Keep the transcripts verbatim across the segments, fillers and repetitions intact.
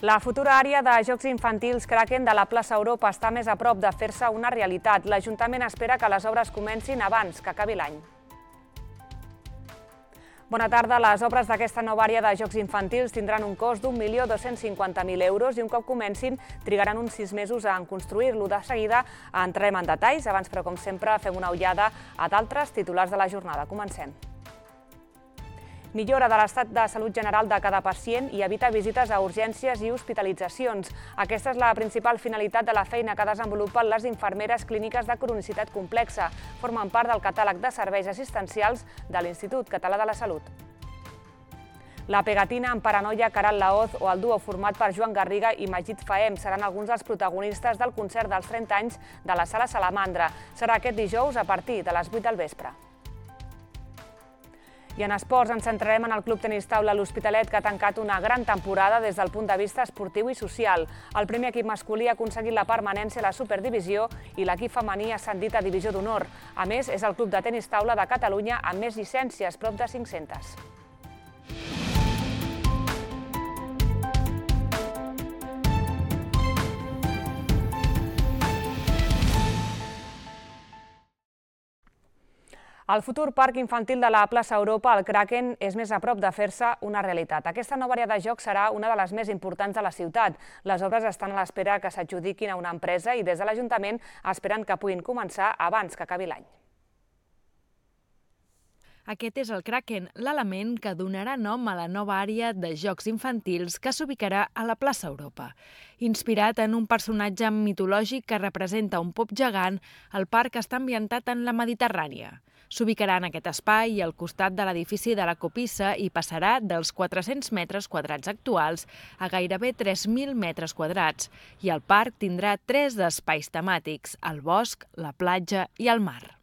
La futura àrea de Jocs Infantils Kraken de la plaça Europa està més a prop de fer-se una realitat. L'Ajuntament espera que les obres comencin abans que acabi l'any. Bona tarda. Les obres d'aquesta nova àrea de Jocs Infantils tindran un cost d'un milió dos-cents cinquanta mil euros i un cop comencin trigaran uns sis mesos en construir-lo. De seguida entrem en detalls. Abans, però, com sempre, fem una ullada a d'altres titulars de la jornada. Comencem. Millora de l'estat de salut general de cada pacient i evita visites a urgències i hospitalitzacions. Aquesta és la principal finalitat de la feina que desenvolupen les infermeres clíniques de cronicitat complexa. Formen part del catàleg de serveis assistencials de l'Institut Català de la Salut. La pegatina amb Paranoia, Caral Laoz o el duo format per Joan Garriga i Magid Fahem seran alguns dels protagonistes del concert dels trenta anys de la Sala Salamandra. Serà aquest dijous a partir de les vuit del vespre. I en esports ens centrarem en el Club Tenis Taula L'Hospitalet, que ha tancat una gran temporada des del punt de vista esportiu i social. El primer equip masculí ha aconseguit la permanència a la Superdivisió i l'equip femení ha ascendit a Divisió d'Honor. A més, és el Club de Tenis Taula de Catalunya amb més llicències, prop de cinc-centes. El futur parc infantil de la plaça Europa, el Kraken, és més a prop de fer-se una realitat. Aquesta nova àrea de jocs serà una de les més importants de la ciutat. Les obres estan a l'espera que s'adjudiquin a una empresa i des de l'Ajuntament esperen que puguin començar abans que acabi l'any. Aquest és el Kraken, l'element que donarà nom a la nova àrea de jocs infantils que s'ubicarà a la plaça Europa. Inspirat en un personatge mitològic que representa un pop gegant, el parc està ambientat en la Mediterrània. S'ubicarà en aquest espai al costat de l'edifici de la Copissa i passarà dels quatre-cents metres quadrats actuals a gairebé tres mil metres quadrats. I el parc tindrà tres espais temàtics, el bosc, la platja i el mar.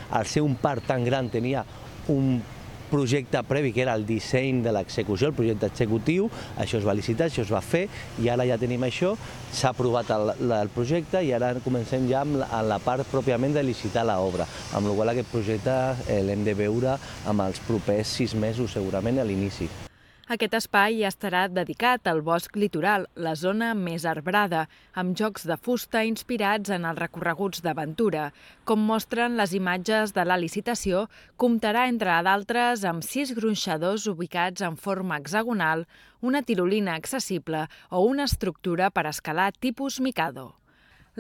Al ser un parc tan gran tenia un projecte previ, que era el disseny de l'execució, el projecte executiu, això es va licitar, això es va fer, i ara ja tenim això, s'ha aprovat el, el projecte i ara comencem ja amb la, amb la part pròpiament de licitar l'obra, amb la qual cosa aquest projecte eh, l'hem de veure amb els propers sis mesos, segurament, a l'inici. Aquest espai estarà dedicat al bosc litoral, la zona més arbrada, amb jocs de fusta inspirats en els recorreguts d'aventura. Com mostren les imatges de la licitació, comptarà, entre d'altres, amb sis gronxadors ubicats en forma hexagonal, una tirolina accessible o una estructura per escalar tipus Mikado.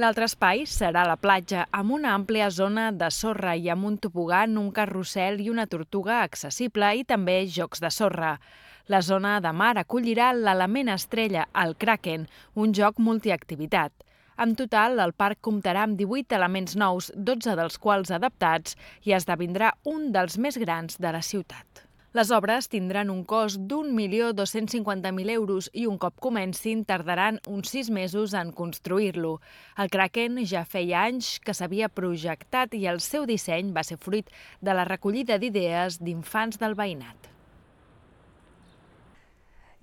L'altre espai serà la platja, amb una àmplia zona de sorra i amb un tobogan, un carrusel i una tortuga accessible i també jocs de sorra. La zona de mar acollirà l'element estrella, el Kraken, un joc multiactivitat. En total, el parc comptarà amb divuit elements nous, dotze dels quals adaptats, i esdevindrà un dels més grans de la ciutat. Les obres tindran un cost d'un milió dos-cents cinquanta mil euros i un cop comencin tardaran uns sis mesos en construir-lo. El Kraken ja feia anys que s'havia projectat i el seu disseny va ser fruit de la recollida d'idees d'infants del veïnat.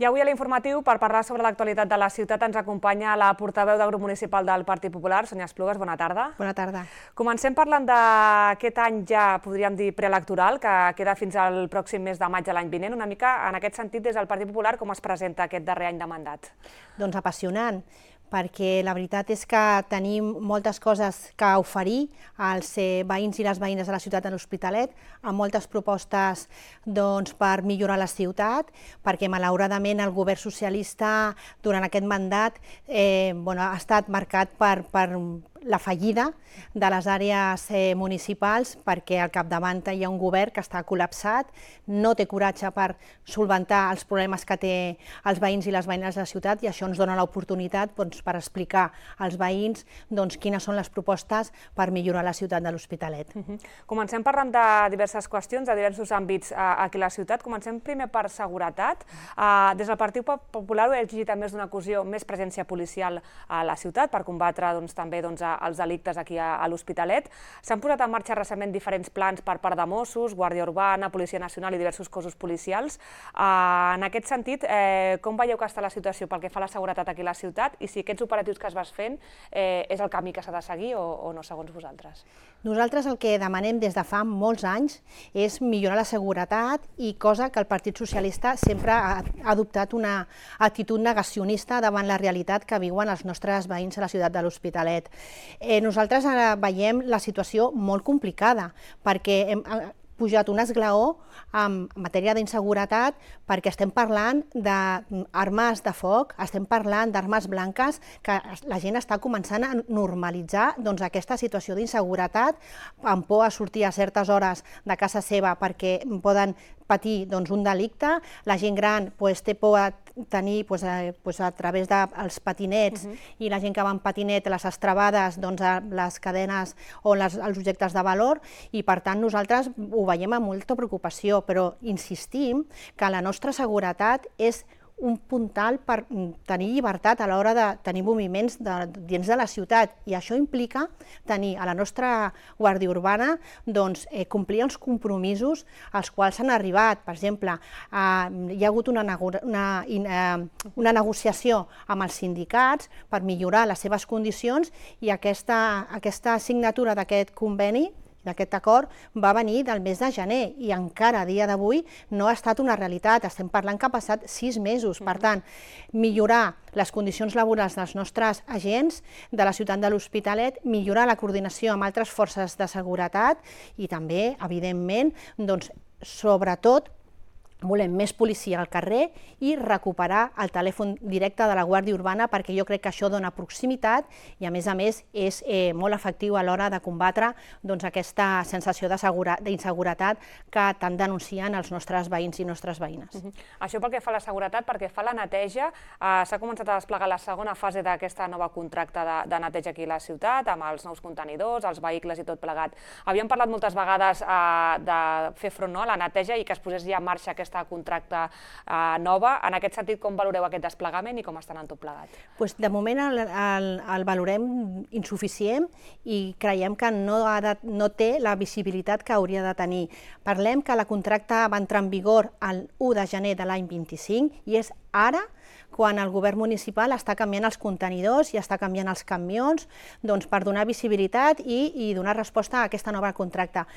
I avui a l'informatiu, per parlar sobre l'actualitat de la ciutat, ens acompanya la portaveu del grup municipal del Partit Popular, Sònia Esplugues. Bona tarda. Bona tarda. Comencem parlant d'aquest any ja, podríem dir, preelectoral, que queda fins al pròxim mes de maig de l'any vinent. Una mica, en aquest sentit, des del Partit Popular, com es presenta aquest darrer any de mandat? Doncs apassionant, perquè la veritat és que tenim moltes coses que oferir als veïns i les veïnes de la ciutat de l'Hospitalet, amb moltes propostes doncs, per millorar la ciutat, perquè malauradament el govern socialista durant aquest mandat eh, bueno, ha estat marcat per, per la fallida de les àrees eh, municipals, perquè al capdavant hi ha un govern que està col·lapsat, no té coratge per solventar els problemes que té els veïns i les veïnes de la ciutat, i això ens dona l'oportunitat doncs, per explicar als veïns doncs, quines són les propostes per millorar la ciutat de l'Hospitalet. Uh-huh. Comencem parlant de diverses qüestions, de diversos àmbits uh, aquí a la ciutat. Comencem primer per seguretat. Uh, des del Partit Popular heu exigit a més d'una ocasió més presència policial a la ciutat per combatre doncs, també doncs, els delictes aquí a l'Hospitalet. S'han posat en marxa recentment diferents plans per part de Mossos, Guàrdia Urbana, Policia Nacional i diversos cossos policials. En aquest sentit, com veieu que està la situació pel que fa a la seguretat aquí a la ciutat i si aquests operatius que es vas fent és el camí que s'ha de seguir o no, segons vosaltres? Nosaltres el que demanem des de fa molts anys és millorar la seguretat i cosa que el Partit Socialista sempre ha adoptat una actitud negacionista davant la realitat que viuen els nostres veïns a la ciutat de l'Hospitalet. Nosaltres ara veiem la situació molt complicada perquè hem pujat un esglaó en matèria d'inseguretat perquè estem parlant d'armes de foc, estem parlant d'armes blanques, que la gent està començant a normalitzar aquesta situació d'inseguretat, amb por a sortir a certes hores de casa seva perquè poden patir un delicte, la gent gran té por a tenir a través dels patinets i la gent que va en patinet, les estrabades, les cadenes o els objectes de valor, i per tant nosaltres ho veiem amb molta preocupació, però insistim que la nostra seguretat és un puntal per tenir llibertat a l'hora de tenir moviments dins de la ciutat, i això implica tenir a la nostra Guàrdia Urbana complir els compromisos als quals s'han arribat. Per exemple, hi ha hagut una negociació amb els sindicats per millorar les seves condicions i aquesta signatura d'aquest conveni, d'aquest acord, va venir del mes de gener i encara a dia d'avui no ha estat una realitat. Estem parlant que ha passat sis mesos. Per tant, millorar les condicions laborals dels nostres agents de la ciutat de l'Hospitalet, millorar la coordinació amb altres forces de seguretat i també, evidentment, sobretot, volem més policia al carrer i recuperar el telèfon directe de la Guàrdia Urbana perquè jo crec que això dona proximitat i a més a més és molt efectiu a l'hora de combatre aquesta sensació d'inseguretat que tant denuncien els nostres veïns i nostres veïnes. Això pel que fa a la seguretat, perquè fa la neteja, s'ha començat a desplegar la segona fase d'aquesta nova contracte de neteja aquí a la ciutat, amb els nous contenidors, els vehicles i tot plegat. Havíem parlat moltes vegades de fer front a la neteja i que es posés ja en marxa aquesta contracte nova. En aquest sentit, com valoreu aquest desplegament i com està anant tot plegat? De moment el valorem insuficient i creiem que no té la visibilitat que hauria de tenir. Parlem que la contracte va entrar en vigor el u de gener de l'any vint-i-cinc i és ara quan el govern municipal està canviant els contenidors i està canviant els camions per donar visibilitat i donar resposta a aquesta nova contracte.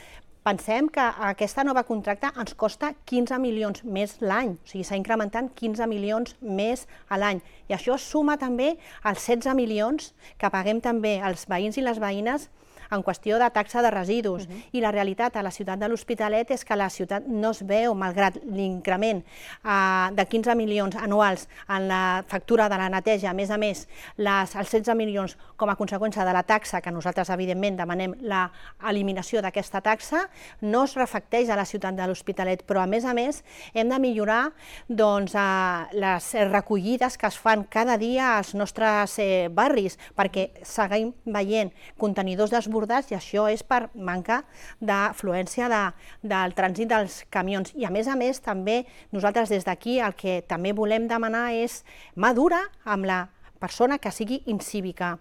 Pensem que aquesta nova contracte ens costa quinze milions més l'any, o sigui, s'ha incrementat quinze milions més a l'any. I això suma també els setze milions que paguem també els veïns i les veïnes en qüestió de taxa de residus. I la realitat a la ciutat de l'Hospitalet és que la ciutat no es veu, malgrat l'increment de quinze milions anuals en la factura de la neteja, a més a més, els setze milions com a conseqüència de la taxa, que nosaltres evidentment demanem l'eliminació d'aquesta taxa, no es reflecteix a la ciutat de l'Hospitalet, però a més a més hem de millorar les recollides que es fan cada dia als nostres barris, perquè seguim veient contenidors desbordats i això és per manca d'afluència del trànsit dels camions. I a més a més també nosaltres des d'aquí el que també volem demanar és mà dura amb la persona que sigui incívica.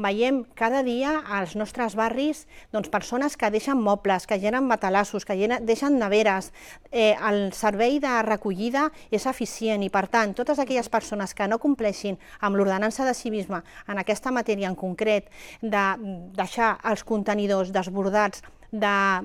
Veiem cada dia als nostres barris persones que deixen mobles, que llenen matalassos, que deixen neveres. El servei de recollida és eficient i, per tant, totes aquelles persones que no compleixin amb l'ordenança de civisme en aquesta matèria en concret, de deixar els contenidors desbordats d'encerts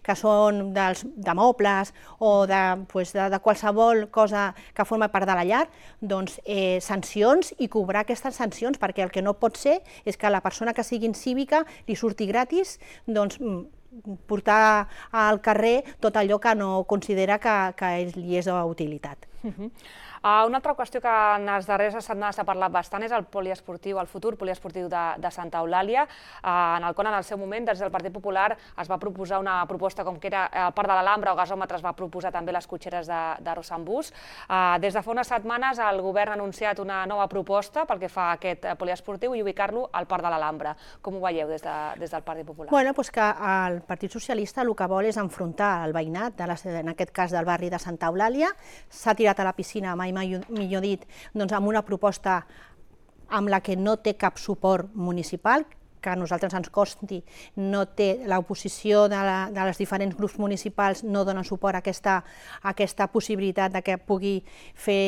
que són de mobles o de qualsevol cosa que forma part de la llar, doncs sancions i cobrar aquestes sancions, perquè el que no pot ser és que la persona que sigui incívica li surti gratis portar al carrer tot allò que no considera que li és d'utilitat. Una altra qüestió que en les darreres setmanes s'ha parlat bastant és el poliesportiu, el futur poliesportiu de Santa Eulàlia, en el qual en el seu moment des del Partit Popular es va proposar una proposta com que era el Parc de l'Alhambra o gasòmetre, es va proposar també les cotxeres de Rossambús. Des de fa unes setmanes el govern ha anunciat una nova proposta pel que fa a aquest poliesportiu i ubicar-lo al Parc de l'Alhambra. Com ho veieu des del Partit Popular? Bueno, doncs que el Partit Socialista el que vol és enfrontar el veïnat, en aquest cas del barri de Santa Eulàlia, s'ha tirat a la piscina, mai millor dit, amb una proposta amb la que no té cap suport municipal, que a nosaltres ens costi, no té l'oposició de, la, de les diferents grups municipals, no donen suport a aquesta, a aquesta possibilitat de que pugui fer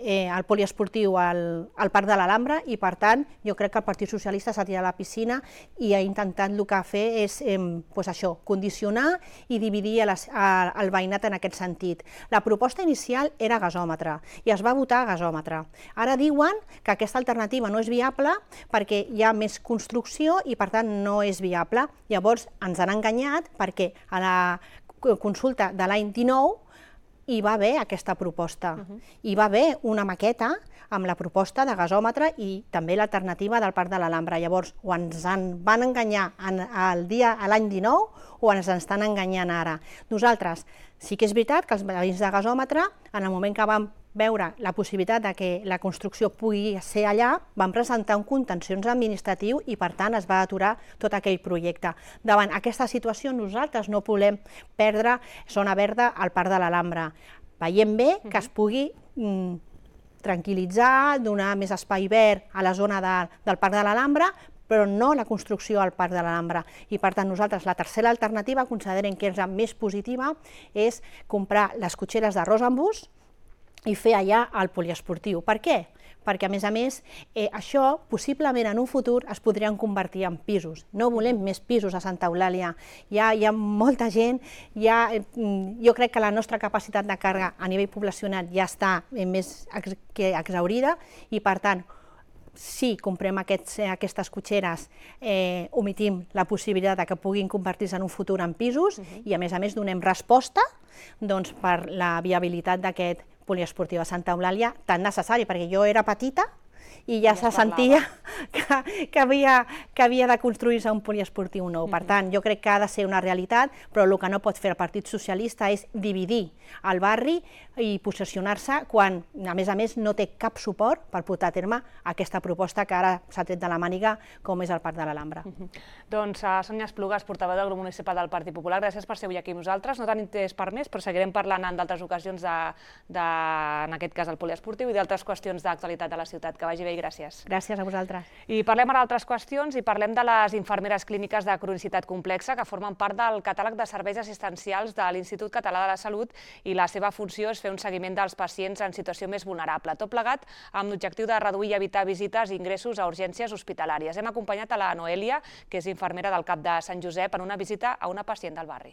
eh, el poliesportiu al, al Parc de l'Alhambra, i per tant jo crec que el Partit Socialista s'ha tirat a la piscina i ha intentat el que fer és eh, pues això, condicionar i dividir a les, a, el veïnat en aquest sentit. La proposta inicial era gasòmetre i es va votar a gasòmetre. Ara diuen que aquesta alternativa no és viable perquè hi ha més construcció i per tant no és viable. Llavors ens han enganyat perquè a la consulta de l'any dinou hi va haver aquesta proposta. Uh-huh. Hi va haver una maqueta amb la proposta de gasòmetre i també l'alternativa del Parc de l'Alhambra. Llavors, o ens en van enganyar el dia a l'any dinou o ens estan enganyant ara. Nosaltres, sí que és veritat que els veïns de gasòmetre, en el moment que vam veure la possibilitat de que la construcció pugui ser allà, van presentar un contenciós administratiu i per tant es va aturar tot aquell projecte. Davant aquesta situació nosaltres no volem perdre zona verda al Parc de l'Alhambra. Veiem bé que es pugui mm, tranquil·litzar, donar més espai verd a la zona de, del Parc de l'Alhambra, però no la construcció al Parc de l'Alhambra. I per tant nosaltres la tercera alternativa considerem que és la més positiva, és comprar les cotxeres d'arròs en bus i fer allà el poliesportiu. Per què? Perquè, a més a més, eh, això possiblement en un futur es podrien convertir en pisos. No volem més pisos a Santa Eulàlia. Hi ha, hi ha molta gent, hi ha, eh, jo crec que la nostra capacitat de càrrega a nivell poblacional ja està eh, més ex que exhaurida i, per tant, si comprem aquests, aquestes cotxeres, eh, omitim la possibilitat de que puguin convertir-se en un futur en pisos uh-huh. i, a més a més, donem resposta doncs, per la viabilitat d'aquest poliesportiu a Santa Eulàlia tan necessari, perquè jo era petita i ja, ja se sentia que, que, havia, que havia de construir-se un poliesportiu nou. Per tant, jo crec que ha de ser una realitat, però el que no pot fer el Partit Socialista és dividir el barri i posicionar-se quan, a més a més, no té cap suport per portar a terme aquesta proposta que ara s'ha tret de la màniga, com és el Parc de l'Alhambra. Uh-huh. Doncs uh, Sònia Esplugas, portaveu del grup municipal del Partit Popular, gràcies per ser avui aquí amb nosaltres. No tenim temps per més, però seguirem parlant en d'altres ocasions, de, de, en aquest cas, el poliesportiu i d'altres qüestions d'actualitat de la ciutat. Que vagi bé i gràcies. Gràcies a vosaltres. I parlem ara d'altres qüestions i parlem de les infermeres clíniques de cronicitat complexa que formen part del catàleg de serveis assistencials de l'Institut Català de la Salut i la seva funció és fer un seguiment dels pacients en situació més vulnerable. Tot plegat amb l'objectiu de reduir i evitar visites i ingressos a urgències hospitalàries. Hem acompanyat a la Noelia, que és infermera del CAP de Sant Josep, en una visita a una pacient del barri.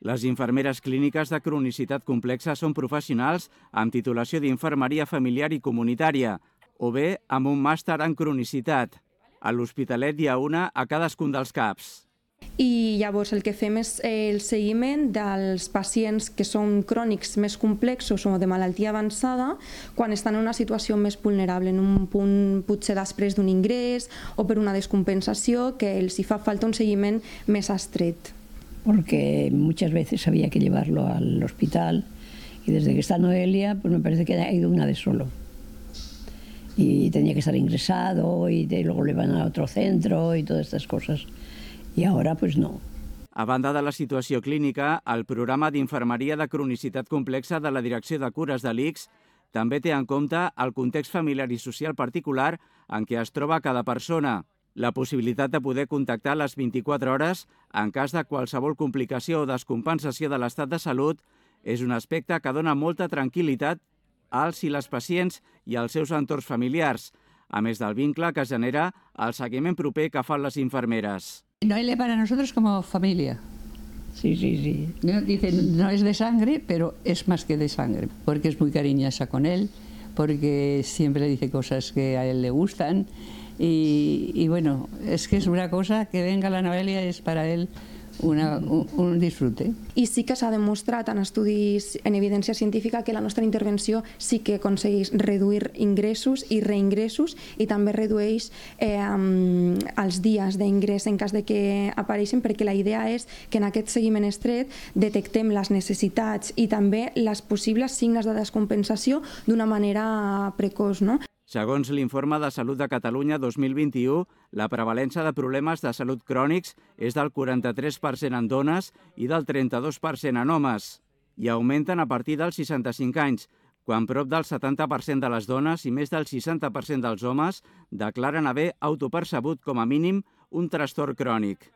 Les infermeres clíniques de cronicitat complexa són professionals amb titulació d'infermeria familiar i comunitària, o bé amb un màster en cronicitat. A l'Hospitalet hi ha una a cadascun dels CAPs. I llavors el que fem és el seguiment dels pacients que són crònics més complexos o de malaltia avançada quan estan en una situació més vulnerable, en un punt potser després d'un ingrés o per una descompensació que els hi fa falta un seguiment més estret. Porque muchas veces había que llevarlo al hospital y desde que está Noelia pues me parece que ha ido una vez solo y tenía que estar ingresado y luego le van a otro centro y todas estas cosas y ahora pues no. A banda de la situació clínica, el programa d'infermeria de cronicitat complexa de la Direcció de Cures de l'I C S també té en compte el context familiar i social particular en què es troba cada persona. La possibilitat de poder contactar les vint-i-quatre hores en cas de qualsevol complicació o descompensació de l'estat de salut és un aspecte que dona molta tranquil·litat als i les pacients i als seus entorns familiars, a més del vincle que genera el seguiment proper que fan les infermeres. Noelia para nosotros como familia. Sí, sí, sí. No, dice, no es de sangre, pero es más que de sangre, porque es muy cariñosa con él, porque siempre dice cosas que a él le gustan. Y, y bueno, es que es una cosa que venga la Noelia es para él una, un, un disfrute. I sí que s'ha demostrat en estudis, en evidència científica, que la nostra intervenció sí que aconsegueix reduir ingressos i reingressos i també redueix eh, els dies d'ingrés en cas de que apareixen, perquè la idea és que en aquest seguiment estret detectem les necessitats i també les possibles signes de descompensació d'una manera precoç, no? Segons l'Informe de Salut de Catalunya dos mil vint-i-u, la prevalença de problemes de salut crònics és del quaranta-tres per cent en dones i del trenta-dos per cent en homes, i augmenten a partir dels seixanta-cinc anys, quan prop del setanta per cent de les dones i més del seixanta per cent dels homes declaren haver autopercebut com a mínim un trastorn crònic.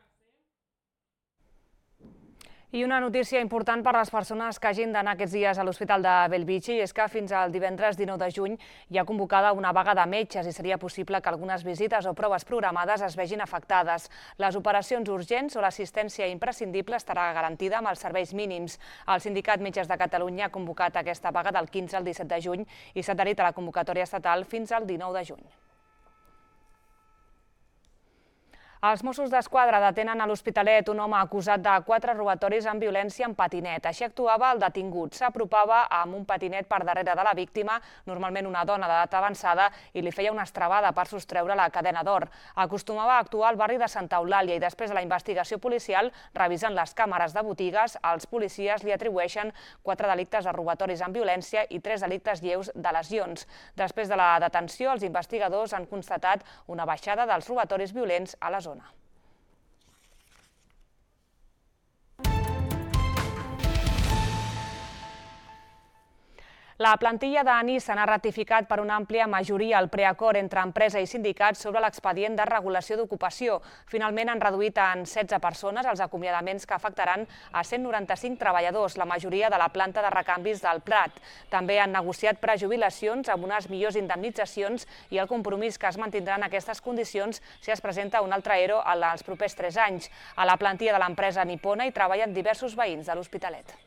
I una notícia important per a les persones que hagin d'anar aquests dies a l'Hospital de Bellvitge és que fins al divendres dinou de juny hi ha convocada una vaga de metges i seria possible que algunes visites o proves programades es vegin afectades. Les operacions urgents o l'assistència imprescindible estarà garantida amb els serveis mínims. El Sindicat Metges de Catalunya ha convocat aquesta vaga del quinze al disset de juny i s'ha adherit a la convocatòria estatal fins al dinou de juny. Els Mossos d'Esquadra detenen a l'Hospitalet un home acusat de quatre robatoris amb violència en patinet. Així actuava el detingut. S'apropava amb un patinet per darrere de la víctima, normalment una dona d'edat avançada, i li feia una estrabada per sostreure la cadena d'or. Acostumava a actuar al barri de Santa Eulàlia i després de la investigació policial, revisant les càmeres de botigues, els policies li atribueixen quatre delictes de robatoris amb violència i tres delictes lleus de lesions. Després de la detenció, els investigadors han constatat una baixada dels robatoris violents a la zona. La plantilla de Nissan ha ratificat per una àmplia majoria el preacord entre empresa i sindicats sobre l'expedient de regulació d'ocupació. Finalment han reduït en setze persones els acomiadaments que afectaran a cent noranta-cinc treballadors, la majoria de la planta de recanvis del Prat. També han negociat prejubilacions amb unes millors indemnitzacions i el compromís que es mantindran aquestes condicions si es presenta un altre ERO als propers tres anys. A la plantilla de l'empresa nipona hi treballen diversos veïns de l'Hospitalet.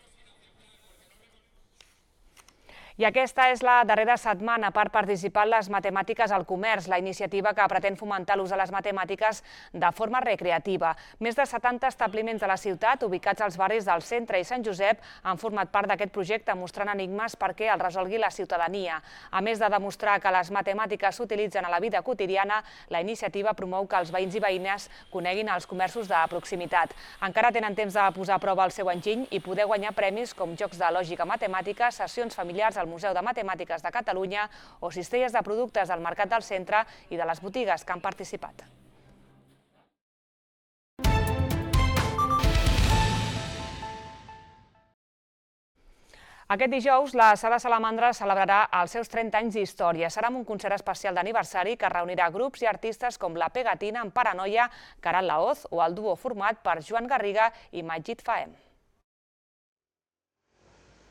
I aquesta és la darrera setmana per participar en les matemàtiques al comerç, la iniciativa que pretén fomentar l'ús de les matemàtiques de forma recreativa. Més de setanta establiments de la ciutat, ubicats als barris del Centre i Sant Josep, han format part d'aquest projecte mostrant enigmes perquè el resolgui la ciutadania. A més de demostrar que les matemàtiques s'utilitzen a la vida quotidiana, la iniciativa promou que els veïns i veïnes coneguin els comerços de proximitat. Encara tenen temps de posar a prova el seu enginy i poder guanyar premis com jocs de lògica matemàtica, sessions familiars al Museu de Matemàtiques de Catalunya o cistelles de productes del Mercat del Centre i de les botigues que han participat. Aquest dijous, la Sala Salamandra celebrarà els seus trenta anys d'història. Serà amb un concert especial d'aniversari que reunirà grups i artistes com La Pegatina, en Paranoia, Caral Laoz o el duo format per Joan Garriga i Majid Fahem.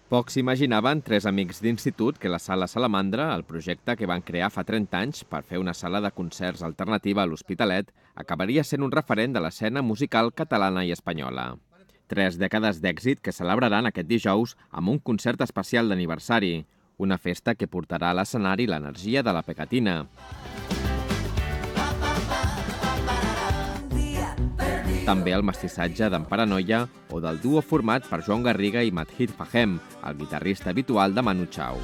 Pocs imaginaven tres amics d'institut que la Sala Salamandra, el projecte que van crear fa trenta anys per fer una sala de concerts alternativa a l'Hospitalet, acabaria sent un referent de l'escena musical catalana i espanyola. Tres dècades d'èxit que celebraran aquest dijous amb un concert especial d'aniversari, una festa que portarà a l'escenari l'energia de La Pegatina. També el mestissatge d'en Paranoia o del duo format per Joan Garriga i Majid Fahem, el guitarrista habitual de Manu Chao.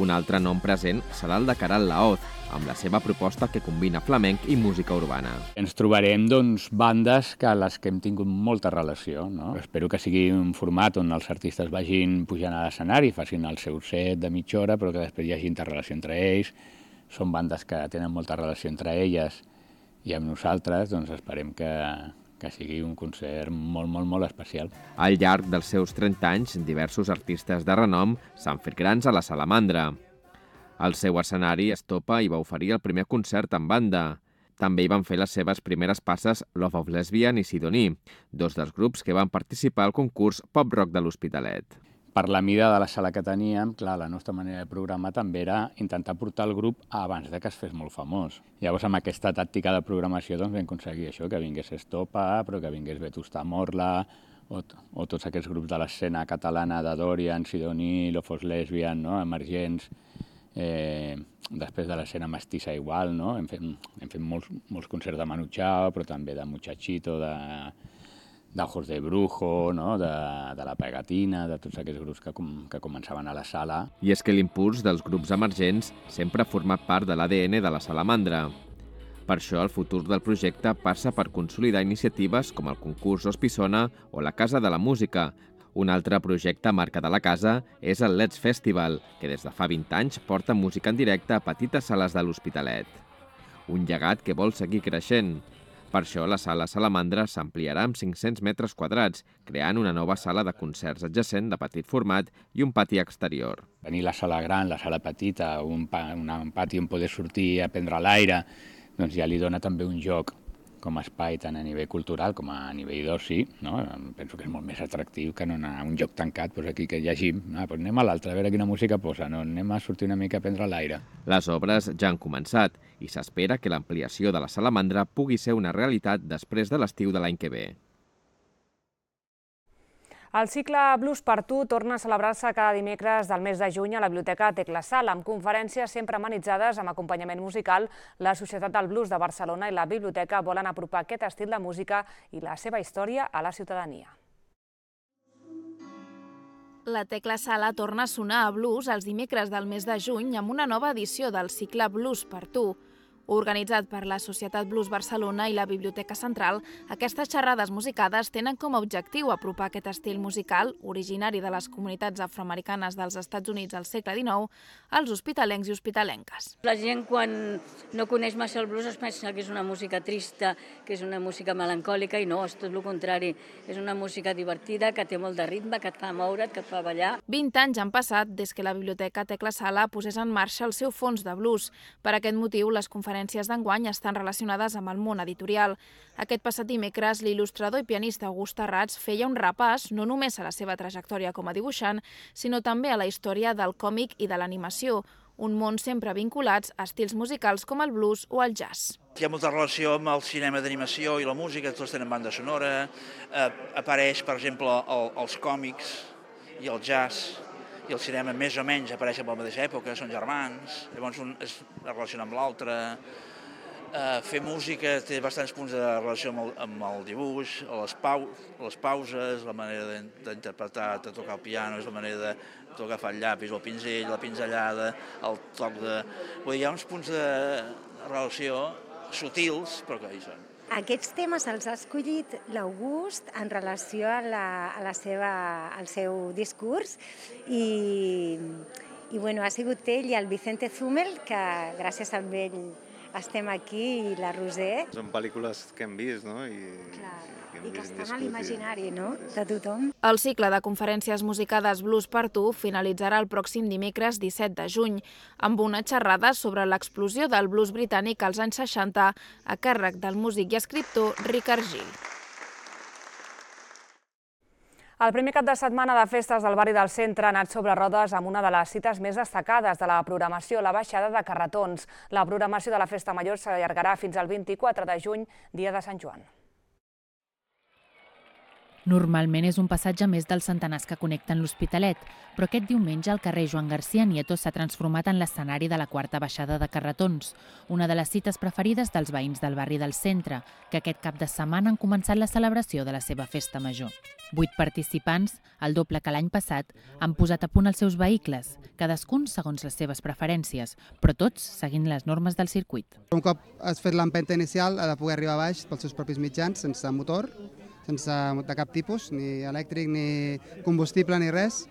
Un altre nom present serà el de Caral Laoz, amb la seva proposta que combina flamenc i música urbana. Ens trobarem doncs, bandes que a les que hem tingut molta relació. No? Espero que sigui un format on els artistes vagin pujant a l'escenari, facin el seu set de mitja hora, però que després hi hagi interrelació entre ells. Són bandes que tenen molta relació entre elles i amb nosaltres doncs, esperem que, que sigui un concert molt, molt, molt especial. Al llarg dels seus trenta anys, diversos artistes de renom s'han fet grans a la Salamandra. El seu escenari Estopa hi va oferir el primer concert en banda. També hi van fer les seves primeres passes Love of Lesbian i Sidoní, dos dels grups que van participar al concurs Pop Rock de l'Hospitalet. Per la mida de la sala que teníem, clar, la nostra manera de programar també era intentar portar el grup abans de que es fes molt famós. Llavors, amb aquesta tàctica de programació doncs, vam aconseguir això, que vingués Estopa, però que vingués Vetusta Morla, o, o tots aquests grups de l'escena catalana de Dorian, Sidoní, Love of Lesbian, no? Emergents. Eh, després de l'escena mestissa igual, no? Hem fet, hem fet molts, molts concerts de Manu Chao, però també de Muchachito, de... d'Ojos de Brujo, no? de, de La Pegatina, de tots aquests grups que, com, que començaven a la sala. I és que l'impuls dels grups emergents sempre ha format part de l'A D N de la Salamandra. Per això el futur del projecte passa per consolidar iniciatives com el concurs Ospissona o la Casa de la Música. Un altre projecte marca de la casa és el Let's Festival, que des de fa vint anys porta música en directe a petites sales de l'Hospitalet. Un llegat que vol seguir creixent. Per això, la sala Salamandra s'ampliarà amb cinc-cents metres quadrats, creant una nova sala de concerts adjacent de petit format i un pati exterior. Tenir la sala gran, la sala petita, un, pa, un pati on poder sortir a prendre l'aire, doncs ja li dona també un joc com a espai tant a nivell cultural com a nivell d'oci, no? Penso que és molt més atractiu que no anar a un lloc tancat, doncs aquí que llegim, ah, doncs anem a l'altre, a veure quina música posa, no? Anem a sortir una mica a prendre l'aire. Les obres ja han començat i s'espera que l'ampliació de la Salamandra pugui ser una realitat després de l'estiu de l'any que ve. El cicle Blues per tu torna a celebrar-se cada dimecres del mes de juny a la Biblioteca Tecla Sala, amb conferències sempre amenitzades amb acompanyament musical. La Societat del Blues de Barcelona i la Biblioteca volen apropar aquest estil de música i la seva història a la ciutadania. La Tecla Sala torna a sonar a blues els dimecres del mes de juny amb una nova edició del cicle Blues per tu. Organitzat per la Societat Blues Barcelona i la Biblioteca Central, aquestes xerrades musicades tenen com a objectiu apropar aquest estil musical, originari de les comunitats afroamericanes dels Estats Units al segle dinou, als hospitalencs i hospitalenques. La gent, quan no coneix massa el blues, es pensa que és una música trista, que és una música melancòlica, i no, és tot el contrari. És una música divertida, que té molt de ritme, que et fa moure't, que et fa ballar. vint anys han passat des que la Biblioteca Tecla Sala posés en marxa el seu fons de blues. Per aquest motiu, les conferències d'enguany estan relacionades amb el món editorial. Aquest passat dimecres, l'il·lustrador i pianista August Tarrats feia un repàs no només a la seva trajectòria com a dibuixant, sinó també a la història del còmic i de l'animació, un món sempre vinculats a estils musicals com el blues o el jazz. Hi ha molta relació amb el cinema d'animació i la música, tots tenen banda sonora, eh, apareix, per exemple, el, els còmics i el jazz, i el cinema més o menys apareixen a la mateixa època, són germans, llavors un es relaciona amb l'altre. Uh, fer música té bastants punts de relació amb el, amb el dibuix, les, pau, les pauses, la manera d'interpretar, de tocar el piano, és la manera de tocar el llapis, el pinzell, la pinzellada, el toc de... Vull dir, hi ha uns punts de relació sutils, però que hi són. Aquests temes els ha escollit l'August en relació a la, a la seva, al seu discurs i, i bueno, ha sigut ell i el Vicente Zumel, que gràcies a ell estem aquí, i la Roser. Són pel·lícules que hem vist, no? I, Clar, i, i que estan a l'imaginari, no?, de tothom. El cicle de conferències musicades Blues per tu finalitzarà el pròxim dimecres disset de juny, amb una xerrada sobre l'explosió del blues britànic als anys seixanta a càrrec del músic i escriptor Ricard Gil. El primer cap de setmana de festes del barri del centre ha anat sobre rodes amb una de les cites més destacades de la programació, la baixada de carretons. La programació de la Festa Major s'allargarà fins al vint-i-quatre de juny, dia de Sant Joan. Normalment és un passatge més dels centenars que connecten l'Hospitalet, però aquest diumenge el carrer Joan García Nieto s'ha transformat en l'escenari de la quarta baixada de carretons, una de les cites preferides dels veïns del barri del centre, que aquest cap de setmana han començat la celebració de la seva festa major. Vuit participants, el doble que l'any passat, han posat a punt els seus vehicles, cadascun segons les seves preferències, però tots seguint les normes del circuit. Un cop has fet l'empenta inicial, ha de poder arribar a baix pels seus propis mitjans, sense motor, sense de cap tipus, ni elèctric, ni combustible, ni res,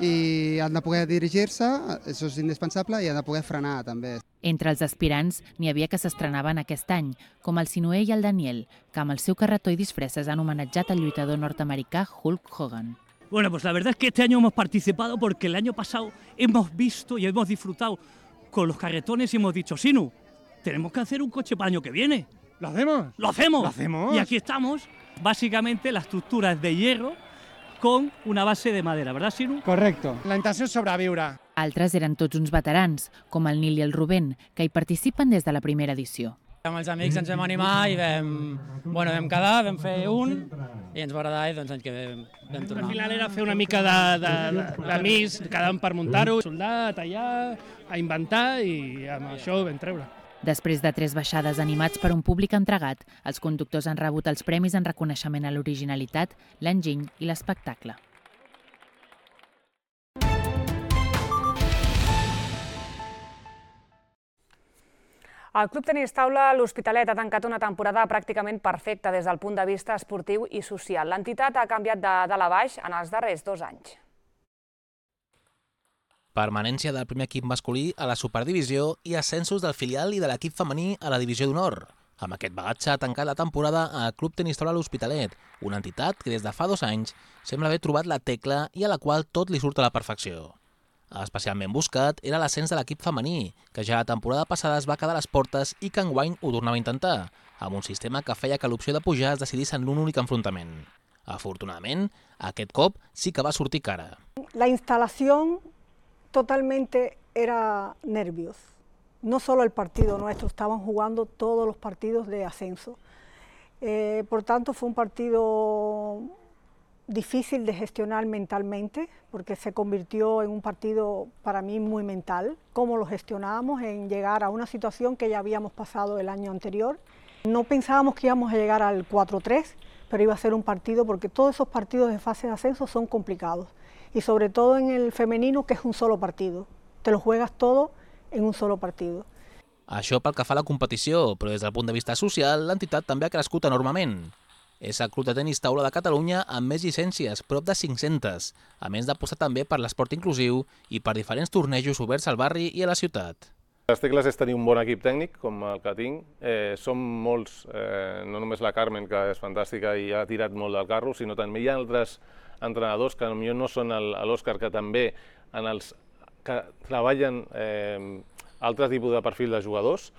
i han de poder dirigir-se, això és indispensable, i han de poder frenar també. Entre els aspirants n'hi havia que s'estrenaven aquest any, com el Sinué i el Daniel, que amb el seu carretó i disfresses han homenatjat al lluitador nord-americà Hulk Hogan. Bueno, pues la verdad es que este año hemos participado porque el año pasado hemos visto y hemos disfrutado con los carretones y hemos dicho, Sinu, tenemos que hacer un coche para el año que viene. ¿Lo hacemos? ¡Lo hacemos! ¿Lo hacemos? Y aquí estamos. Básicamente la estructura es de hierro con una base de madera, ¿verdad, Sinu? Correcto. La intenció és sobreviure. Altres eren tots uns veterans, com el Nil i el Rubén, que hi participen des de la primera edició. Amb els amics ens vam animar i vam, bueno, vam quedar, vam fer un i ens va agradar i doncs l'any que vam, vam tornar. Al final era fer una mica d'amics, quedàvem per muntar-ho, soldar, tallar, a inventar i amb això ho vam treure. Després de tres baixades animats per un públic entregat, els conductors han rebut els premis en reconeixement a l'originalitat, l'enginy i l'espectacle. El Club Tenis Taula L'Hospitalet ha tancat una temporada pràcticament perfecta des del punt de vista esportiu i social. L'entitat ha canviat de dalt a baix en els darrers dos anys. Permanència del primer equip masculí a la superdivisió i ascensos del filial i de l'equip femení a la divisió d'honor. Amb aquest bagatge ha tancat la temporada a Club Tenis Taula L'Hospitalet, una entitat que des de fa dos anys sembla haver trobat la tecla i a la qual tot li surt a la perfecció. Especialment buscat era l'ascens de l'equip femení, que ja la temporada passada es va quedar a les portes i que enguany ho tornava a intentar, amb un sistema que feia que l'opció de pujar es decidís en un únic enfrontament. Afortunadament, aquest cop sí que va sortir cara. La instalación totalmente era nervios. No solo el partido nuestro, estaban jugando todos los partidos de ascenso. Eh, por tanto, fue un partido difícil de gestionar mentalmente, porque se convirtió en un partido para mí muy mental. Cómo lo gestionábamos en llegar a una situación que ya habíamos pasado el año anterior. No pensábamos que íbamos a llegar al cuatro tres, pero iba a ser un partido, porque todos esos partidos de fase de ascenso son complicados. Y sobre todo en el femenino, que es un solo partido. Te lo juegas todo en un solo partido. Això pel que fa a la competició, però des del punt de vista social, l'entitat també ha crescut enormement. És el Club de Tenis Taula de Catalunya amb més llicències, prop de cinc-centes, a més d'apostar també per l'esport inclusiu i per diferents tornejos oberts al barri i a la ciutat. Les tecles és tenir un bon equip tècnic, com el que tinc. Eh, som molts, eh, no només la Carmen, que és fantàstica i ha tirat molt del carro, sinó també hi ha altres entrenadors que potser no són l'Òscar, que també en els que treballen eh, altres tipus de perfil de jugadors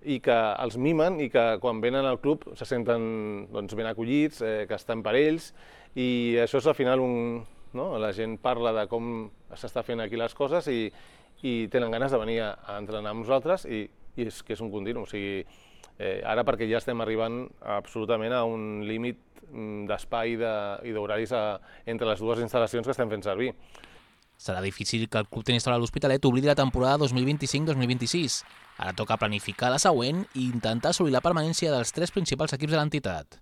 i que els mimen i que quan venen al club se senten doncs, ben acollits, eh, que estan per ells, i això és al final un... No? La gent parla de com s'està fent aquí les coses i, i tenen ganes de venir a, a entrenar amb nosaltres i, i és que és un continu. O sigui, eh, ara perquè ja estem arribant absolutament a un límit d'espai i d'horaris entre les dues instal·lacions que estem fent servir. Serà difícil que el Club Tenis Taula L'Hospitalet oblidi la temporada dos mil vint-i-cinc dos mil vint-i-sis. Ara toca planificar la següent i intentar assolir la permanència dels tres principals equips de l'entitat.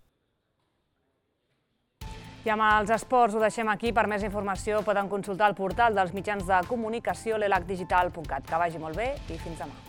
I amb els esports ho deixem aquí. Per més informació poden consultar el portal dels mitjans de comunicació l'elac digital punt cat. Que vagi molt bé i fins demà.